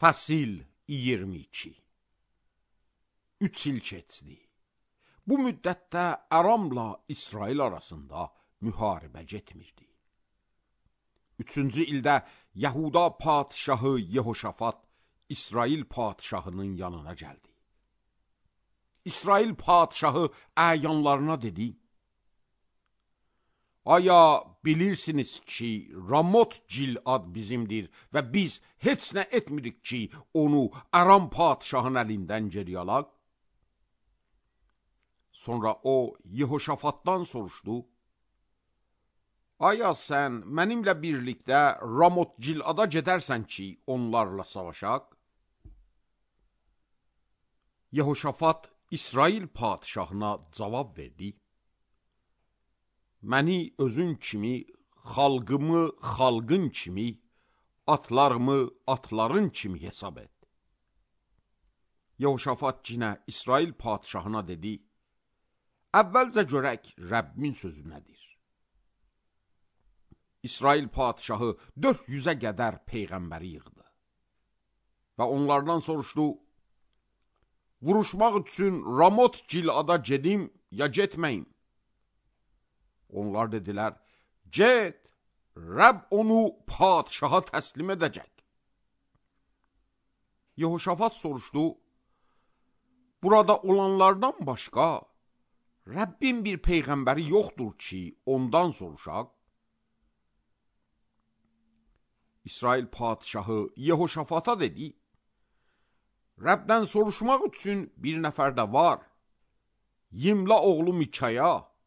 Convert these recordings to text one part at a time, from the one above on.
Fəsil 22. 3 il keçdi. Bu müddətdə Aramla İsrail arasında müharibə getmirdi. 3-cü ildə Yahuda padişahı Yehoşafat İsrail padişahının yanına gəldi. İsrail padişahı əyanlarına dedi: Aya bilirsiniz ki, Ramot Gilad bizimdir və biz heç nə etmirik ki, onu Aram padişahının əlindən geri alaq? Sonra o, Yehoşafatdan soruşdu: Aya sən mənimlə birlikdə Ramot Gilada gedərsən ki, onlarla savaşaq? Yehoşafat İsrail padişahına cavab verdi: Məni özün kimi, xalqımı xalqın kimi, atlarımı atların kimi hesab et. Yehoşafat yenə İsrail padişahına dedi: Əvvəlcə görək Rəbbimin sözü nədir? İsrail padişahı 400-ə qədər peyğəmbəri yığdı və onlardan soruşdu: Vuruşmaq üçün Ramot Gilada gedim ya getməyim? Onlar dedilər: Get, Rəbb onu padişaha təslim edəcək. Yehoşafat soruşdu: Burada olanlardan başqa Rəbbin bir peyğəmbəri yoxdur ki, ondan soruşaq? İsrail padişahı Yehoşafata dedi: Rəbdən soruşmaq üçün bir nəfər də var, Yimla oğlu Mikaya.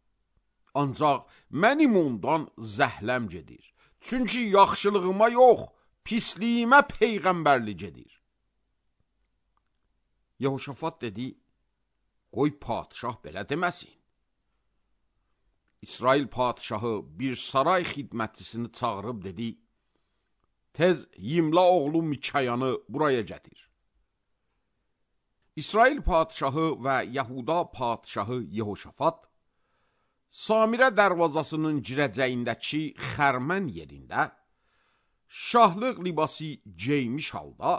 Ancaq mənim ondan zəhləm gedir. Çünki yaxşılığıma yox, pisliyimə peyğəmbərli gedir. Yehoşafat dedi: Qoy padişah belə deməsin. İsrail padişahı bir saray xidmətçisini çağırıb dedi: Tez Yimla oğlu Mikayanı buraya gətir. İsrail padişahı və Yahuda padişahı Yehoşafat Samirə dərvazasının girəcəyindəki xərmən yerində şahlıq libası geymiş halda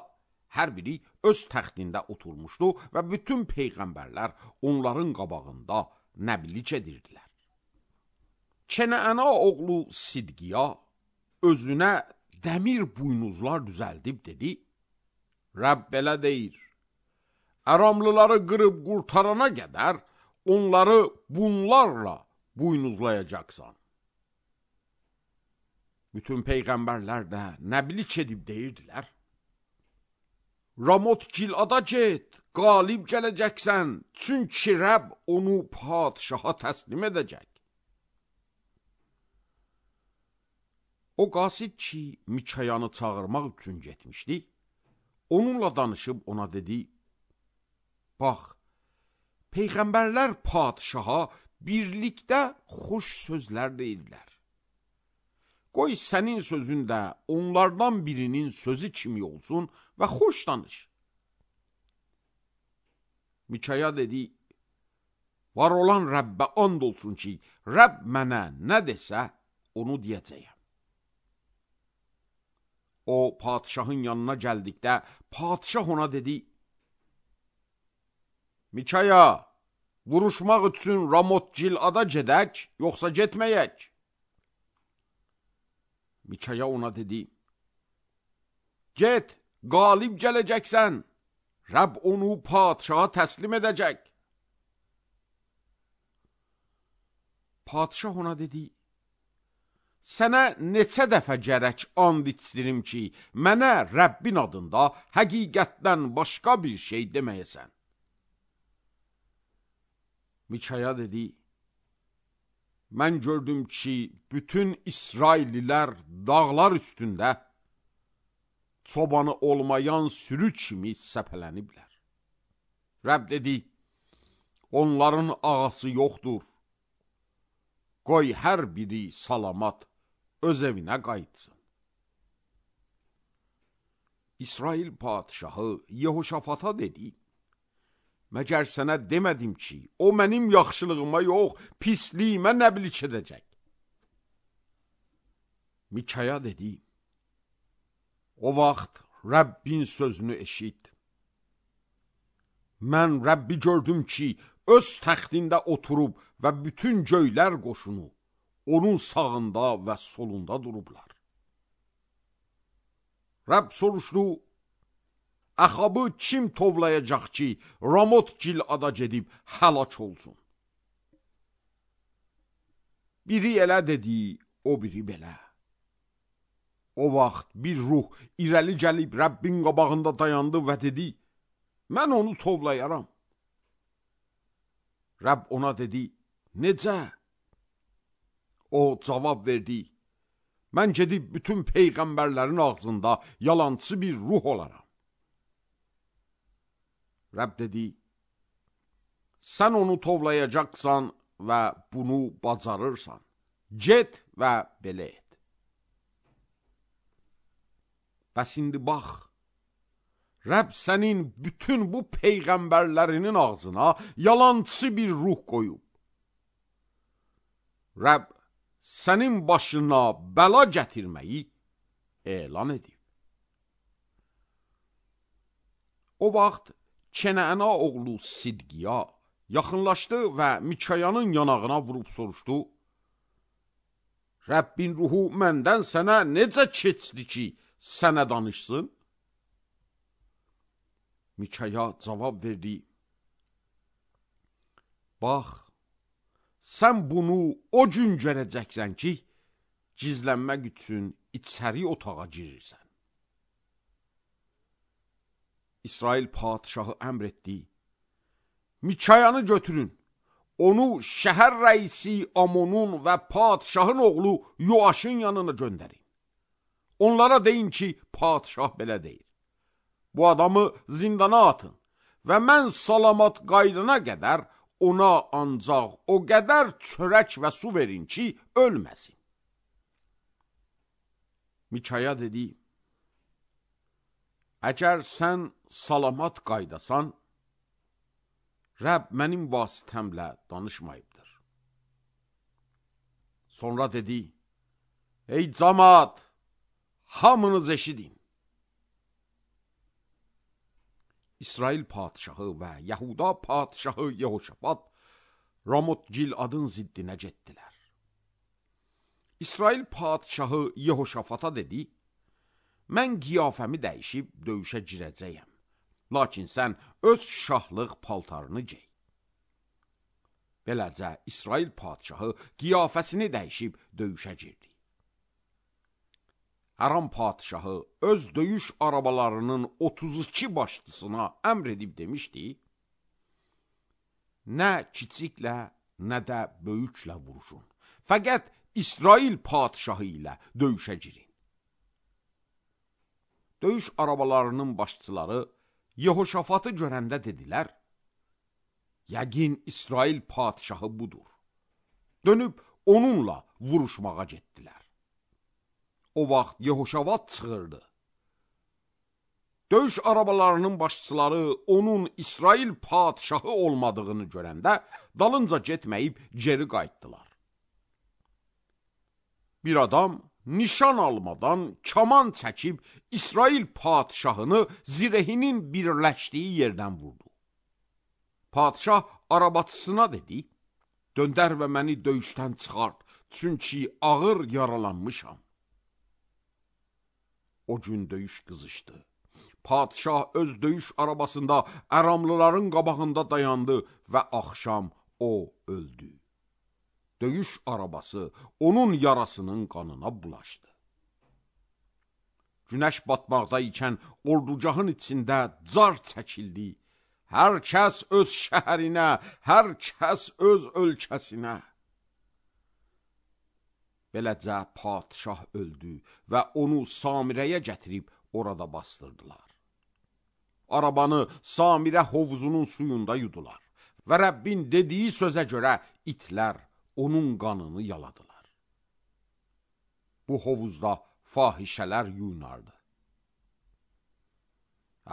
hər biri öz təxtində oturmuşdu və bütün peyğəmbərlər onların qabağında nəbliç edirdilər. Kenəana oğlu Sidqiya özünə dəmir buynuzlar düzəldib dedi: Rəbb belə deyir, Aramlıları qırıb qurtarana qədər onları bunlarla buynuzlayacaqsan. Bütün peyğəmbərlər də nəbliç edib deyirdilər: Ramot Gilada get, qalib gələcəksən, çünki Rəbb onu padişaha təslim edəcək. O qasid ki, Mikayanı çağırmaq üçün getmişdi, onunla danışıb ona dedi: Bax, peyğəmbərlər padişaha birlikdə xoş sözlər deyirlər. Qoy sənin sözün də onlardan birinin sözü kimi olsun və xoş danış. Mikaya dedi: Var olan Rəbbə and olsun ki, Rəbb mənə nə desə, onu deyəcəyəm. O, padişahın yanına gəldikdə, padişah ona dedi: Mikaya, vuruşmaq üçün Ramot Gilada gedək, yoxsa getməyək? Mikaya ona dedi: Get, qalib gələcəksən, Rəbb onu padişaha təslim edəcək. Padişah ona dedi: Sənə neçə dəfə gərək and içdirim ki, mənə Rəbbin adında həqiqətdən başqa bir şey deməyəsən. Mikaya dedi: Mən gördüm ki, bütün İsraillilər dağlar üstündə çobanı olmayan sürü kimi səpələniblər. Rəbb dedi: Onların ağası yoxdur. Qoy hər biri salamat öz evinə qayıtsın. İsrail padişahı Yehoşafata dedi: Məgər sənə demədim ki, o mənim yaxşılığıma yox, pisliyimə nəbliç edəcək. Mikaya dedi: O vaxt Rəbbin sözünü eşit. Mən Rəbbi gördüm ki, öz təxtində oturub və bütün göylər qoşunu onun sağında və solunda durublar. Rəbb soruşdu, Əxabı kim tovlayacaq ki, Ramot Gilada gedib həlak olsun? Biri elə dedi, o biri belə. O vaxt bir ruh irəli gəlib Rəbbin qabağında dayandı və dedi, mən onu tovlayaram. Rəbb ona dedi, necə? O cavab verdi, mən gedib bütün peyğəmbərlərin ağzında yalancı bir ruh olaram. Rəbb dedi, sən onu tovlayacaqsan və bunu bacarırsan. Get və belə et. Bəs indi bax, Rəbb sənin bütün bu peyğəmbərlərinin ağzına yalancı bir ruh qoyub. Rəbb sənin başına bəla gətirməyi elan edib. O vaxt Kenəana oğlu Sidqiya yaxınlaşdı və Mikayanın yanağına vurub soruşdu, Rəbbin ruhu məndən sənə necə keçdi ki, sənə danışsın? Mikaya cavab verdi, bax, sən bunu o gün görəcəksən ki, gizlənmək üçün içəri otağa girirsən. İsrail padişahı əmr etdi, Mikayanı götürün, onu şəhər rəisi Amonun və padişahın oğlu Yoaşın yanına göndərin. Onlara deyin ki, padişah belə deyir. Bu adamı zindana atın və mən salamat qaydana qədər ona ancaq o qədər çörək və su verin ki, ölməsin. Mikaya dedi, əgər sən salamat qaydasan, Rəbb mənim vasitəmlə danışmayıbdır. Sonra dedi, ey camaat, hamınız eşidin. İsrail padişahı və Yahuda padişahı Yehoşafat Ramot Giladın ziddinə getdilər. İsrail padişahı Yehoşafata dedi, mən qiyafəmi dəyişib döyüşə girəcəyəm. Lakin sən öz şahlıq paltarını gey. Beləcə İsrail padişahı qiyafəsini dəyişib döyüşə girdi. Aram padişahı öz döyüş arabalarının 32 başçısına əmr edib demişdi, nə kiçiklə, nə də böyüklə vuruşun. Fəqət İsrail padişahı ilə döyüşə girin. Döyüş arabalarının başçıları Yehoşafatı görəndə dedilər, yəqin İsrail padişahı budur. Dönüb onunla vuruşmağa getdilər. O vaxt Yehoşafat çığırdı. Döyüş arabalarının başçıları onun İsrail padişahı olmadığını görəndə dalınca getməyib geri qayıtdılar. Bir adam nişan almadan kaman çəkib İsrail padişahını zirehinin birləşdiyi yerdən vurdu. Padişah arabatçısına dedi, döndər və məni döyüşdən çıxart, çünki ağır yaralanmışam. O gün döyüş qızışdı. Padişah öz döyüş arabasında Əramlıların qabağında dayandı və axşam o öldü. Döyüş arabası onun yarasının qanına bulaşdı. Günəş batmaqda ikən ordugahın içində car çəkildi. Hər kəs öz şəhərinə, hər kəs öz ölkəsinə. Beləcə padişah öldü və onu Samirəyə gətirib orada bastırdılar. Arabanı Samirə hovuzunun suyunda yudular və Rəbbin dediyi sözə görə itlər onun qanını yaladılar. Bu hovuzda fahişələr yuyunardı.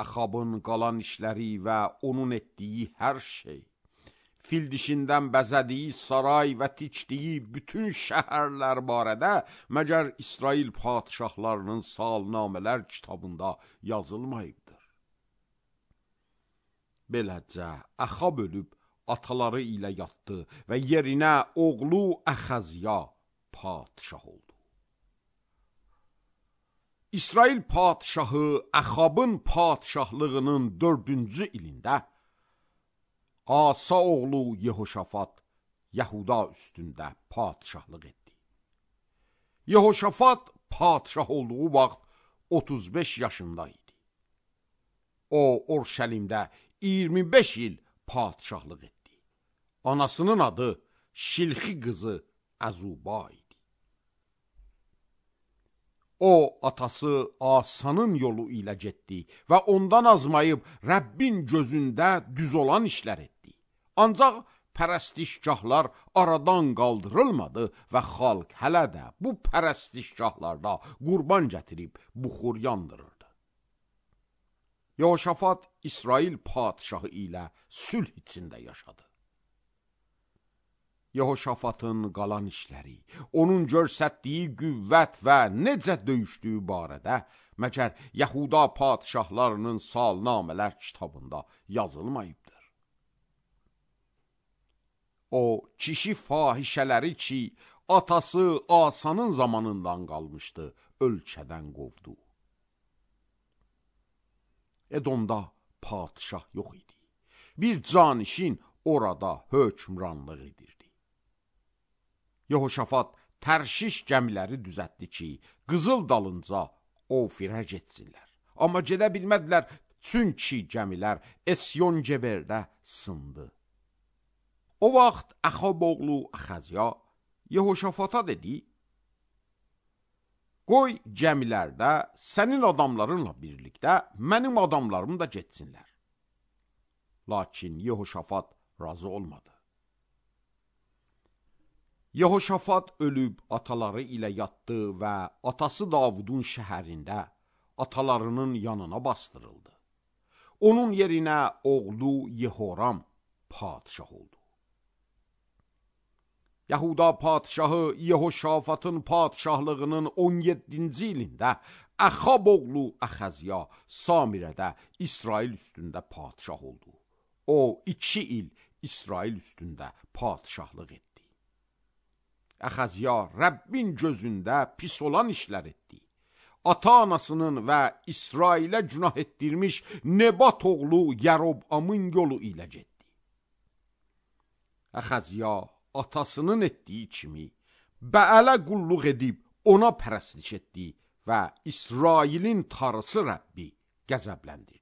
Əxabın qalan işləri və onun etdiyi hər şey, fil dişindən bəzədiyi saray və tikdiyi bütün şəhərlər barədə məgər İsrail padişahlarının salnamələr kitabında yazılmayıbdır. Beləcə, Əxab ölüb ataları ilə yatdı və yerinə oğlu Əxəzya padişah oldu. İsrail padişahı Əxabın padişahlığının 4-cü ilində Asa oğlu Yehoşafat Yahuda üstündə padişahlıq etdi. Yehoşafat padişah olduğu vaxt 35 yaşında idi. O, Orşəlimdə 25 il padişahlıq etdi. Anasının adı Şilxi qızı Əzuba idi. O, atası Asanın yolu ilə getdi və ondan azmayıb Rəbbin gözündə düz olan işlər etdi. Ancaq pərəstişgahlar aradan qaldırılmadı və xalq hələ də bu pərəstişgahlarda qurban gətirib buxur yandırırdı. Yehoşafat İsrail padişahı ilə sülh içində yaşadı. Yehoşafatın qalan işləri, onun göstərdiyi qüvvət və necə döyüşdüyü barədə məgər Yahuda padişahlarının salnamələr kitabında yazılmayıbdır. O, kişi fahişələri ki, atası Asanın zamanından qalmışdı, ölkədən qovdu. Edomda padişah yox idi. Bir canişin orada hökmranlıq edirdi. Yehoşafat Tərşiş gəmiləri düzəltdi ki, qızıl dalınca Ofirə getsinlər. Amma gedə bilmədilər, çünki gəmilər Esyon-Geberdə sındı. O vaxt Əxab oğlu Əxəzya Yehoşafata dedi, qoy gəmilərdə sənin adamlarınla birlikdə mənim adamlarım da getsinlər. Lakin Yehoşafat razı olmadı. Yehoşafat ölüb ataları ilə yatdı və atası Davudun şəhərində atalarının yanına bastırıldı. Onun yerinə oğlu Yehoram padişah oldu. Yahuda padişahı Yehoşafatın padişahlığının 17-ci ilində Əxab oğlu Əxəzya Samirədə İsrail üstündə padişah oldu. O 2 il İsrail üstündə padişahlıq etdi. Əxəzya Rəbbin gözündə pis olan işlər etdi. Ata-anasının və İsrailə günah etdirmiş Nebat oğlu Yərobamın yolu ilə getdi. Əxəzya atasının etdiyi kimi Bəələ qulluq edib ona pərəstiş etdi və İsrailin tarısı Rəbbi qəzəbləndirdi.